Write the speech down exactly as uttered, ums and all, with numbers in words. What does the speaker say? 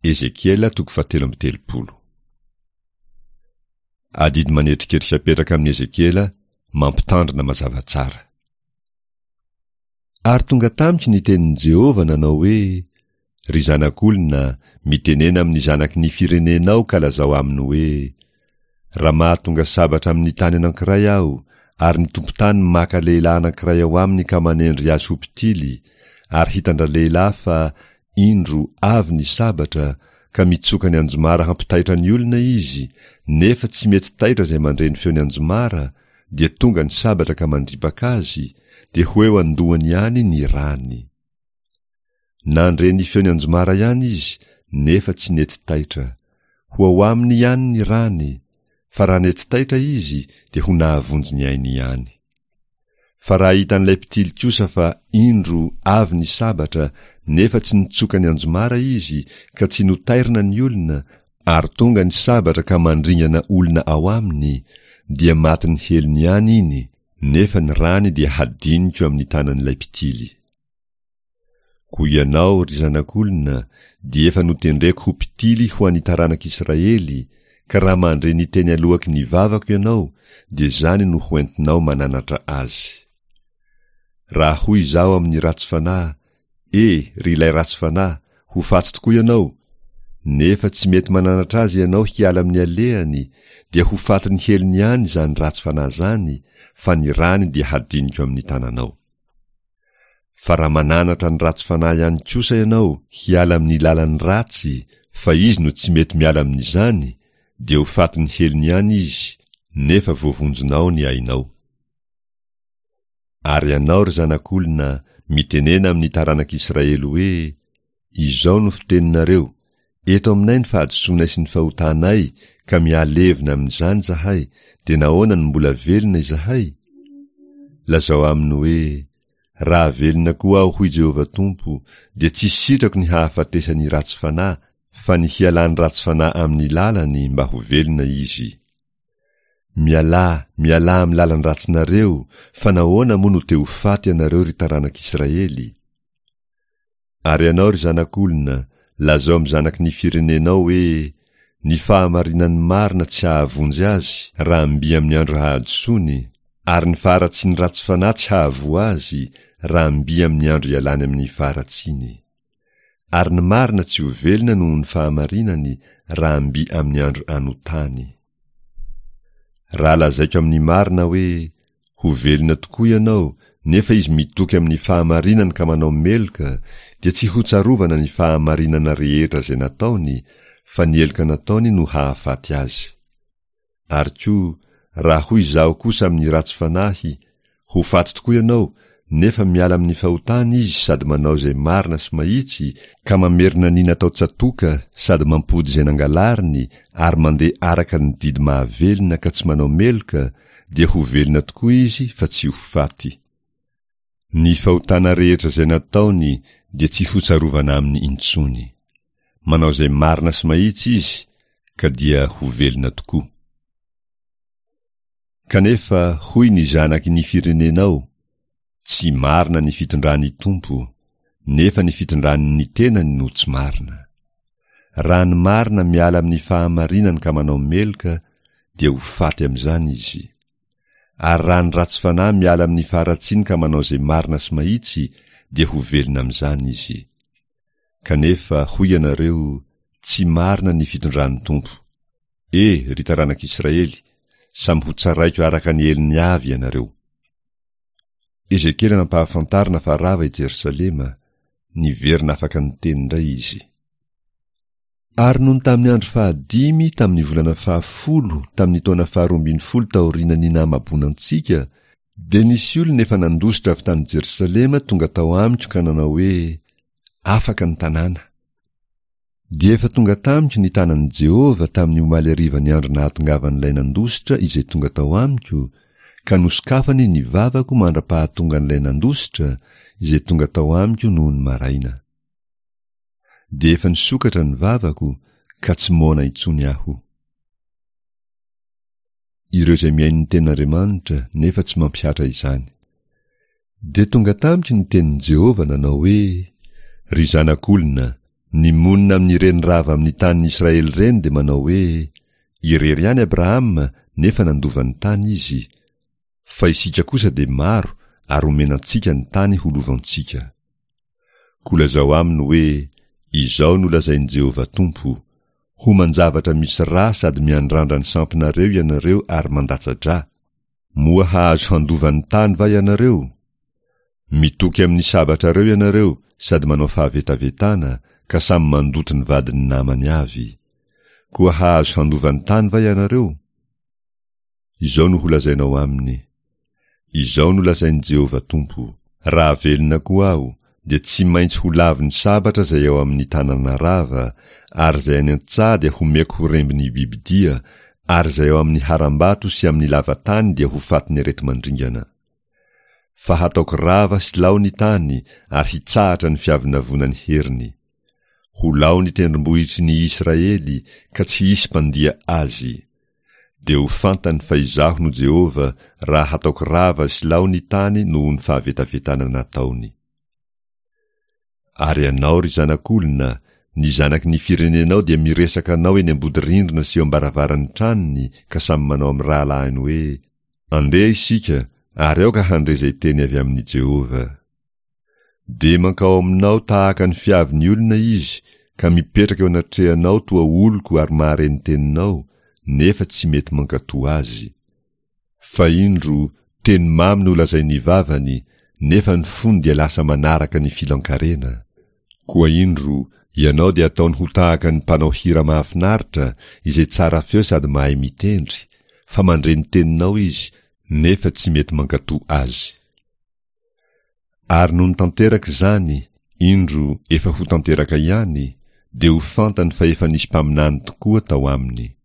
Ezekiela toko fahatelo amby telopolo. Adidy manetriketrika apetraka amin'i Ezekiela mampitandrina mazava tsara. Ary tonga tamiko ny tenin'i Jehovah nanao hoe, Ry zanak'olona, mitenena amin'ny zanaky ny firenenao ka lazao aminy hoe, Raha mahatonga sabatra amin'ny tany anankiray aho, ary ny tompon-tany maka lehilahy anankiray ao aminy ka manendry azy ho mpitily, ary hitan-dralehilahy fa, indro, avy ny sabatra, ka mitsoka ny anjomara hampitaitra ny olona izy, nefa tsy mety taitra izay mandre ny feon'ny anjomara, dia tonga ny sabatra ka mandripaka azy, dia ho eo an-dohany ihany ny rany. Nandre ny feon'ny anjomara ihany izy, nefa tsy nety taitra. Ho ao aminy ihany ny rany, fa raha nety taitra izy, dia ho nahavonjy ny ainy ihany. Fa raha hitan'ilay mpitily kosa fa, indro, avy ny sabatra, nefa tsy nitsoka ny anjomara izy, ka tsy notairina ny olona, ary tonga ny sabatra ka mandringana olona ao aminy, dia matin'ny helony ihany iny, nefa ny rany dia hadiniko amin'ny tanan'ilay mpitily. Koa ianao, ry zanak'olona, dia efa notendreko ho mpitily ho an'ny taranak'Israely, ka raha mandre ny teny aloaky ny vavako ianao, dia izany no hoentinao mananatra azy. Raha hoy izaho amin'ny ratsy fanahy, E, ry ilay ratsy fanahy, ho faty tokoa ianao! Nefa tsy mety mananatra azy ianao hiala amin'ny alehany, dia ho fatin'ny helony ihany izany ratsy fanahy izany, fa ny rany dia hadiniko amin'ny tananao. Fa raha mananatra ny ratsy fanahy ihany kosa ianao hiala amin'ny lalany ratsy, fa izy no tsy mety miala amin'izany, dia ho fatin'ny helony ihany izy, nefa voavonjinao ny ainao. Ary ianao, ry zanak'olona, mitenena amin'ny taranak'Israely hoe, Izao no fiteninareo, Eto aminay ny fahadisoanay sy ny fahotanay, ka mihalevona amin'izany izahay, dia nahoana no mbola velona izahay? Lazao aminy hoe, Raha velona koa aho, hoy Jehovah Tompo, dia tsy sitrako ny hahafatesan'ny ratsy fanahy, fa ny hialan'ny ratsy fanahy amin'ny lalany mba ho velona izy. Mialà, mialà amin'ny lalan-dratsinareo, fa nahoana moa no te ho faty ianareo, ry taranak'Israely? Ary ianao, ry zanak'olona, lazao amin'ny zanaky ny firenenao hoe, Ny fahamarinan'ny marina tsy hahavonjy azy raha mby amin'ny andro hahadisoany, ary ny faharatsian'ny ratsy fanahy tsy hahavoa azy raha mby amin'ny andro ialany amin'ny faharatsiany. Ary ny marina tsy ho velona noho ny fahamarinany raha mby amin'ny andro anotany. Raha lazaiko amin'ny marina hoe, Ho velona tokoa ianao, nefa izy mitoky amin'ny fahamarinany ka manao meloka, dia tsy hotsarovana ny fahamarinana rehetra izay nataony, fa ny heloka nataony no hahafaty azy. Ary koa, raha hoy izaho kosa amin'ny ratsy fanahy, Ho faty tokoa ianao, nefa miala amin'ny fahotany izy sady manao izay marina sy mahitsy, ka mamerina ny natao tsatoka sady mampody izay nangalariny ary mandeha araka ny didy mahavelona ka tsy manao meloka, dia ho velona tokoa izy fa tsy ho faty. Ny fahotana rehetra izay nataony dia tsy hotsarovana aminy intsony. Manao izay marina sy mahitsy izy ka dia ho velona tokoa. Kanefa hoy ny zanaky ny firenenao, Tsy marina ny fitondran'ny Tompo, nefa ny fitondrany ny tenany no tsy marina. Raha ny marina miala amin'ny fahamarinany ka manao meloka, dia ho faty amin'izany izy. Ary raha ny ratsy fanahy miala amin'ny faharatsiany ka manao izay marina sy mahitsy, dia ho velona amin'izany izy. Kanefa, hoy ianareo, Tsy marina ny fitondran'ny Tompo. E, ry taranak'Israely, samy hotsaraiko araka ny helony avy ianareo. Ezekiela nampahafantarina fa rava i Jerosalema, niverina afaka niteny indray izy. Ary nony tamin'ny andro fahadimy tamin'ny volana fahafolo tamin'ny taona faharoa ambin'ny folo taorian'ny nahamaboana antsika, dia nisy olona efa nandositra avy tany Jerosalema tonga tao amiko ka nanao hoe, Afaka ny tanàna. Dia efa tonga tamiko ny tanan'i Jehovah tamin'ny omaly harivan'ny andro nahatongavan'ilay nandositra izay tonga tao amiko, ka nosokafany ny vavako mandra-pahatongan'ilay nandositra izay tonga tao amiko nony maraina. Dia efa nisokatra ny vavako, ka tsy moana intsony aho. Ireo izay mihaino ny tenin'Andriamanitra nefa tsy mampihatra izany. Dia tonga tamiko ny tenin'i Jehovah nanao hoe, Ry zanak'olona, Ny monina amin'ireny rava amin'ny tanin'ny Israely ireny dia manao hoe, Irery ihany Abrahama nefa nandova ny tany izy, fa isika kosa dia maro ary omena antsika ny tany ho lovantsika. Koa lazao aminy hoe, Izao no lazain'i Jehovah Tompo, Homan-javatra misy rà sady miandrandra ny sampinareo ianareo ary mandatsa-drà. Moa hahazo handova ny tany va ianareo? Mitoky amin'ny sabatrareo ianareo sady manao fahavetavetana ka samy mandoto ny vadin'ny namany avy. Koa hahazo handova ny tany va ianareo? Izao no holazainao aminy, Izao no lazain'i Jehovah Tompo, Raha velona koa aho, dia tsy maintsy ho lavon'ny sabatra izay ao amin'ny tanàna rava, ary izay any an-tsaha dia homeko ho rembin'ny bibidia, ary izay ao amin'ny harambato sy amin'ny lava-tany dia ho fatin'ny areti-mandringana. Fa hataoko rava sy lao ny tany, ary hitsahatra ny fiavonavonan'ny heriny. Ho lao ny tendrombohitry ny Israely, ka tsy hisy mpandia azy. Dia ho fantany fa Izaho no Jehovah, raha hataoko rava sy lao ny tany noho ny fahavetavetana nataony. Ary ianao, ry zanak'olona, ny zanaky ny firenenao dia miresaka anao eny am-bodirindrina sy eo am-baravaran'ny tranony ka samy manao amin'ny rahalahiny hoe, Andeha isika, ary aoka handre izay teny avy amin'i Jehovah. Dia mankao aminao tahaka ny fiavin'ny olona izy ka mipetraka eo anatrehanao toa oloko ary mahare ny teninao, nefa tsy mety mankatò azy. Fa indro, teny mamy no lazain'ny vavany, nefa ny fony dia lasa manaraka ny filan-karena. Koa indro, ianao dia ataony ho tahaka ny mpanao hira mahafinaritra, izay tsara feo sady mahay mitendry, fa mandre ny teninao izy, nefa tsy mety mankatò azy. Ary nony tanteraka izany, indro, efa ho tanteraka ihany, dia ho fantany fa efa nisy mpaminany tokoa tao aminy.